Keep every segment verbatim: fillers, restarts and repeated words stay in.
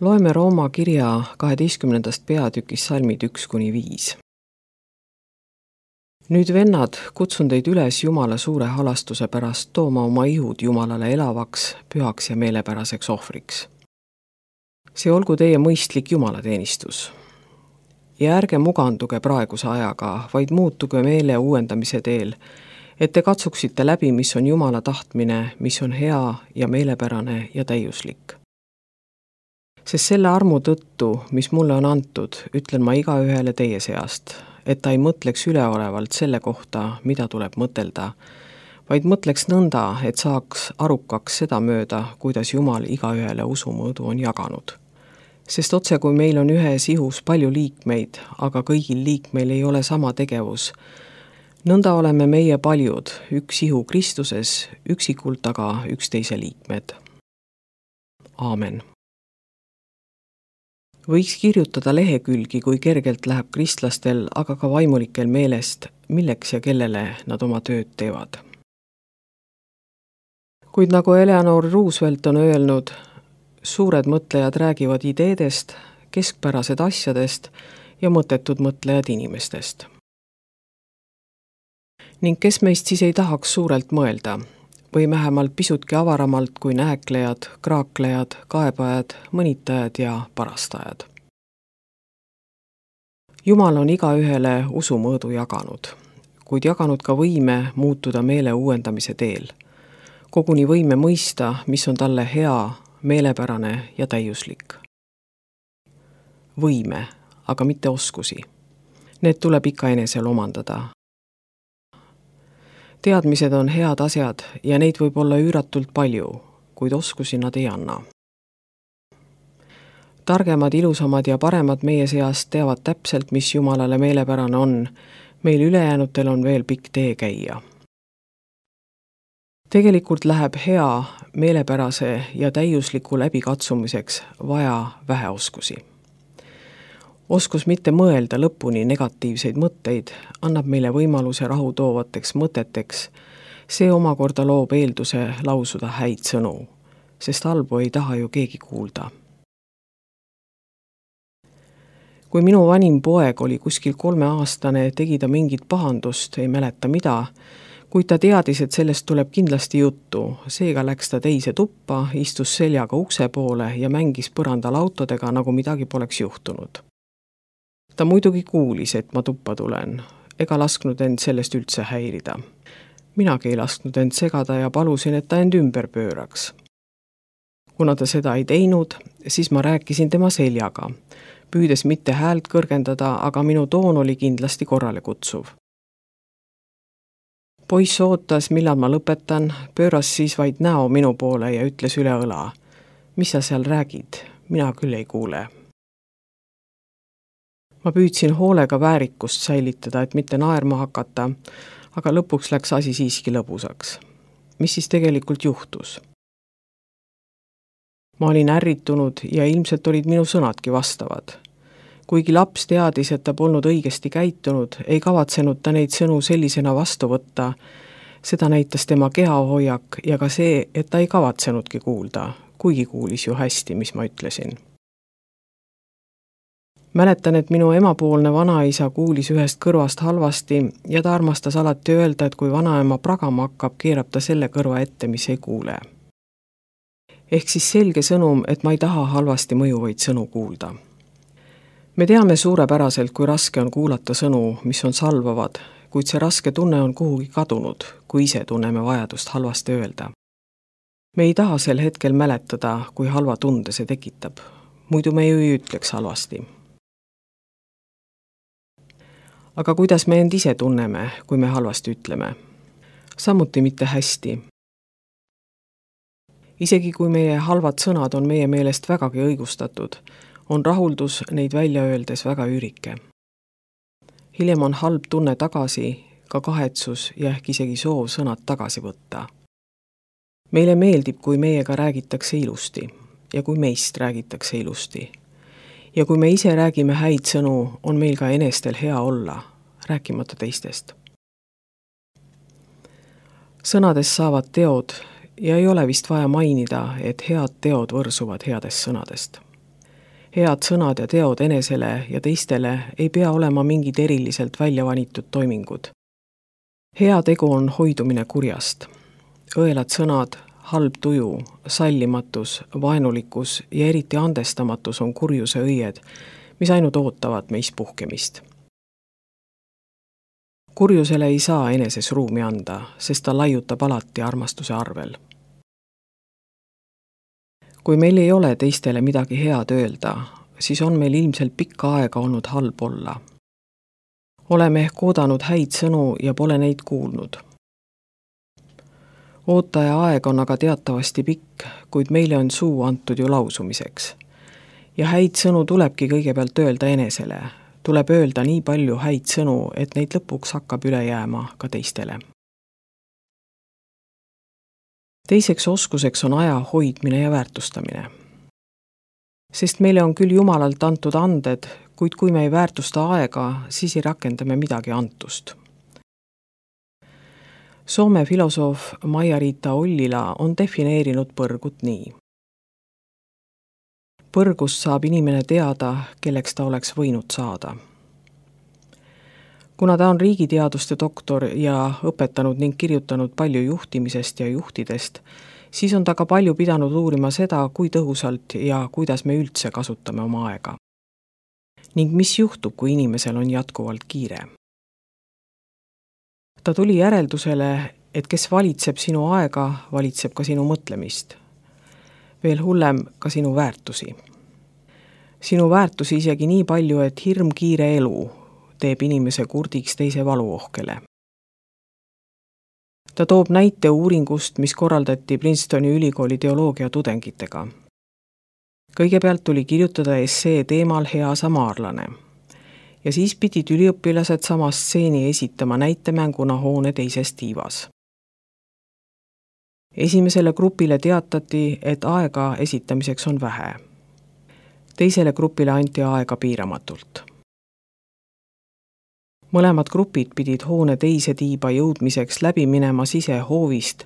Loeme Rooma kirja kaheteistkümnendast peatükist salmid üks kuni viis. Nüüd vennad, kutsun teid üles Jumala suure halastuse pärast tooma oma ihud Jumalale elavaks, pühaks ja meelepäraseks ohvriks. See olgu teie mõistlik jumalateenistus. Ja ärge muganduge praeguse ajaga, vaid muutuge meele uuendamise teel, et te katsuksite läbi, mis on Jumala tahtmine, mis on hea ja meelepärane ja täiuslik. Sest selle armu tõttu, mis mulle on antud, ütlen ma igaühele teie seast, et ta ei mõtleks üleolevalt selle kohta, mida tuleb mõtelda, vaid mõtleks nõnda, et saaks arukaks seda mööda, kuidas Jumal igaühele usumõõdu on jaganud. Sest otse kui meil on ühes ihus palju liikmeid, aga kõigil liikmeil ei ole sama tegevus, nõnda oleme meie paljud, üks ihu Kristuses, üksikult aga üksteise liikmed. Aamen. Võiks kirjutada lehekülgi, kui kergelt läheb kristlastel, aga ka vaimulikel meelest, milleks ja kellele nad oma tööd teevad. Kuid nagu Eleanor Roosevelt on öelnud, suured mõtlejad räägivad ideedest, keskpärased asjadest ja mõttetud mõtlejad inimestest. Ning kes meist siis ei tahaks suurelt mõelda, või vähemalt pisutki avaramalt kui nääklejad, kraaklejad, kaebajad, mõnitajad ja parastajad. Jumal on igaühele usumõõdu jaganud, kuid jaganud ka võime muutuda meele uuendamise teel. Koguni võime mõista, mis on talle hea, meelepärane ja täiuslik. Võime, aga mitte oskusi. Need tuleb ikka enesel omandada. Teadmised on head asjad ja neid võib olla üüratult palju, kuid oskusi nad ei anna. Targemad, ilusamad ja paremad meie seast teavad täpselt, mis Jumalale meelepärane on. Meil ülejäänutel on veel pikk tee käia. Tegelikult läheb hea, meelepärase ja täiusliku läbikatsumiseks vaja vähe oskusi. Oskus mitte mõelda lõpuni negatiivseid mõtteid annab meile võimaluse rahu toovateks mõteteks. See omakorda loob eelduse lausuda häid sõnu, sest halbu ei taha ju keegi kuulda. Kui minu vanim poeg oli kuskil kolmeaastane, tegi ta mingit pahandust, ei mäleta mida, kuid ta teadis, et sellest tuleb kindlasti juttu. Seega läks ta teise tuppa, istus seljaga ukse poole ja mängis põrandal autodega, nagu midagi poleks juhtunud. Ta muidugi kuulis, et ma tuppa tulen, ega lasknud end sellest üldse häirida. Minagi ei lasknud end segada ja palusin, et ta end ümber pööraks. Kuna ta seda ei teinud, siis ma rääkisin tema seljaga, püüdes mitte häält kõrgendada, aga minu toon oli kindlasti korrale kutsuv. Poiss ootas, millal ma lõpetan, pööras siis vaid näo minu poole ja ütles üle õla. Mis sa seal räägid? Mina küll ei kuule. Ma püüdsin hoolega väärikust säilitada, et mitte naerma hakata, aga lõpuks läks asi siiski lõbusaks. Mis siis tegelikult juhtus? Ma olin ärritunud ja ilmselt olid minu sõnadki vastavad. Kuigi laps teadis, et ta polnud õigesti käitunud, ei kavatsenud ta neid sõnu sellisena vastu võtta. Seda näitas tema kehahoiak ja ka see, et ta ei kavatsenudki kuulda, kuigi kuulis ju hästi, mis ma ütlesin. Mäletan, et minu emapoolne vanaisa kuulis ühest kõrvast halvasti ja ta armastas alati öelda, et kui vanaema pragama hakkab, keerab ta selle kõrva ette, mis ei kuule. Ehk siis selge sõnum, et ma ei taha halvasti mõjuvaid sõnu kuulda. Me teame suurepäraselt, kui raske on kuulata sõnu, mis on salvavad, kuid see raske tunne on kuhugi kadunud, kui ise tunneme vajadust halvasti öelda. Me ei taha sel hetkel mäletada, kui halva tunde see tekitab. Muidu me ju ei ütleks halvasti. Aga kuidas me end ise tunneme, kui me halvasti ütleme? Samuti mitte hästi. Isegi kui meie halvad sõnad on meie meelest vägagi õigustatud, on rahuldus neid välja öeldes väga üürike. Hiljem on halb tunne tagasi, ka kahetsus ja ehk isegi soov sõnad tagasi võtta. Meile meeldib, kui meiega räägitakse ilusti ja kui meist räägitakse ilusti. Ja kui me ise räägime häid sõnu, on meil ka enestel hea olla, rääkimata teistest. Sõnadest saavad teod ja ei ole vist vaja mainida, et head teod võrsuvad headest sõnadest. head sõnad ja teod enesele ja teistele ei pea olema mingid eriliselt välja valitud toimingud. Hea tegu on hoidumine kurjast. Õelad sõnad, halb tuju, sallimatus, vaenulikkus ja eriti andestamatus on kurjuse õied, mis ainult ootavad meis puhkemist. Kurjusele ei saa eneses ruumi anda, sest ta laiutab alati armastuse arvel. Kui meil ei ole teistele midagi head öelda, siis on meil ilmselt pikka aega olnud halb olla. Oleme ehk oodanud häid sõnu ja pole neid kuulnud. Ootaja aeg on aga teatavasti pikk, kuid meile on suu antud ju lausumiseks. Ja häid sõnu tulebki kõigepealt öelda enesele. Tuleb öelda nii palju häid sõnu, et neid lõpuks hakkab üle jääma ka teistele. Teiseks oskuseks on aja hoidmine ja väärtustamine. Sest meile on küll Jumalalt antud anded, kuid kui me ei väärtusta aega, siis ei rakenda me midagi antust. Soome filosoof Maija-Riita Ollila on defineerinud põrgut nii. Põrgust saab inimene teada, kelleks ta oleks võinud saada. Kuna ta on riigiteaduste doktor ja õpetanud ning kirjutanud palju juhtimisest ja juhtidest, siis on ta ka palju pidanud uurima seda, kui tõhusalt ja kuidas me üldse kasutame oma aega. Ning mis juhtub, kui inimesel on jätkuvalt kiire. Ta tuli järeldusele, et kes valitseb sinu aega, valitseb ka sinu mõtlemist. Veel hullem ka sinu väärtusi. Sinu väärtusi isegi nii palju, et hirm kiire elu teeb inimese kurdiks teise valuohkele. Ta toob näite uuringust, mis korraldati Princetoni ülikooli teoloogia tudengitega. Kõigepealt tuli kirjutada essee teemal Hea samaarlane. Ja siis pidid üliõpilased sama stseeni esitama näitemänguna hoone teises tiivas. Esimesele grupile teatati, et aega esitamiseks on vähe. Teisele grupile anti aega piiramatult. Mõlemad grupid pidid hoone teise tiiba jõudmiseks läbi minema sisehoovist,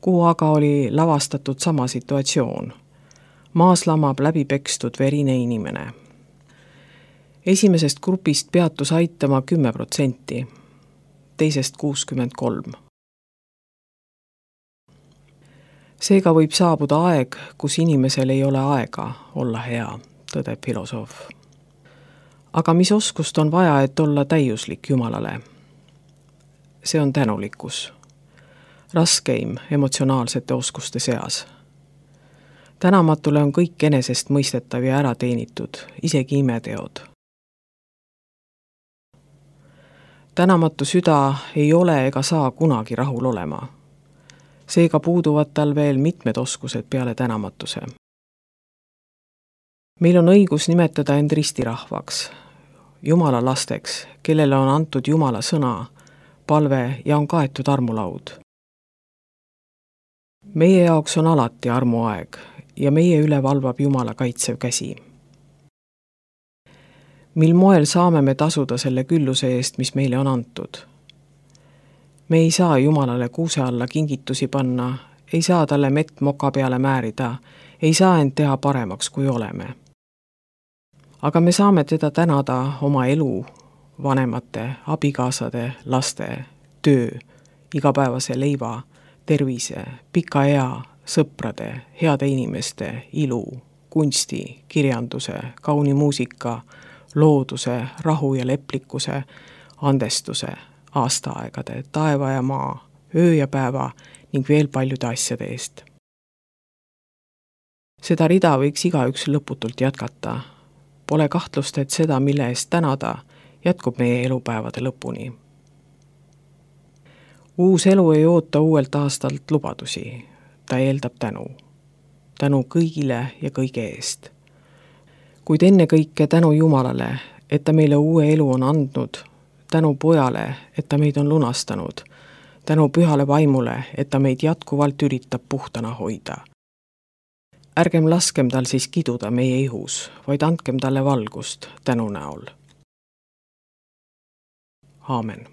kuhu aga oli lavastatud sama situatsioon. Maas lamab läbi pekstud verine inimene. Esimesest grupist peatus aitama kümme protsenti, teisest kuuskümmend kolm. Seega võib saabuda aeg, kus inimesel ei ole aega olla hea, tõdeb filosoof. Aga mis oskust on vaja, et olla täiuslik Jumalale? See on tänulikkus. Raskeim emotsionaalsete oskuste seas. Tänamatule on kõik enesest mõistetav ja ära teenitud, isegi imeteod. Tänamatu süda ei ole ega saa kunagi rahul olema. Seega puuduvad tal veel mitmed oskused peale tänamatuse. Meil on õigus nimetada end ristirahvaks, Jumala lasteks, kellele on antud Jumala sõna, palve ja on kaetud armulaud. Meie jaoks on alati armuaeg ja meie üle valvab Jumala kaitsev käsi. Mil moel saame me tasuda selle külluse eest, mis meile on antud? Me ei saa Jumalale kuuse alla kingitusi panna, ei saa talle mett moka peale määrida, ei saa end teha paremaks, kui oleme. Aga me saame teda tänada oma elu, vanemate, abikaasade, laste, töö, igapäevase leiva, tervise, pika ea, sõprade, heade inimeste, ilu, kunsti, kirjanduse, kauni muusika, looduse, rahu ja leplikkuse, andestuse, aastaaegade, taeva ja maa, öö ja päeva ning veel paljude asjade eest. Seda rida võiks igaüks lõputult jätkata. Pole kahtlust, et seda, mille eest tänada, jätkub meie elupäevade lõpuni. Uus elu ei oota uuelt aastalt lubadusi. Ta eeldab tänu. Tänu kõigile ja kõige eest. Kuid enne kõike tänu Jumalale, et ta meile uue elu on andnud, tänu pojale, et ta meid on lunastanud, tänu pühale vaimule, et ta meid jätkuvalt üritab puhtana hoida. Ärgem laskem tal siis kiduda meie ihus, vaid andkem talle valgust tänu näol. Aamen.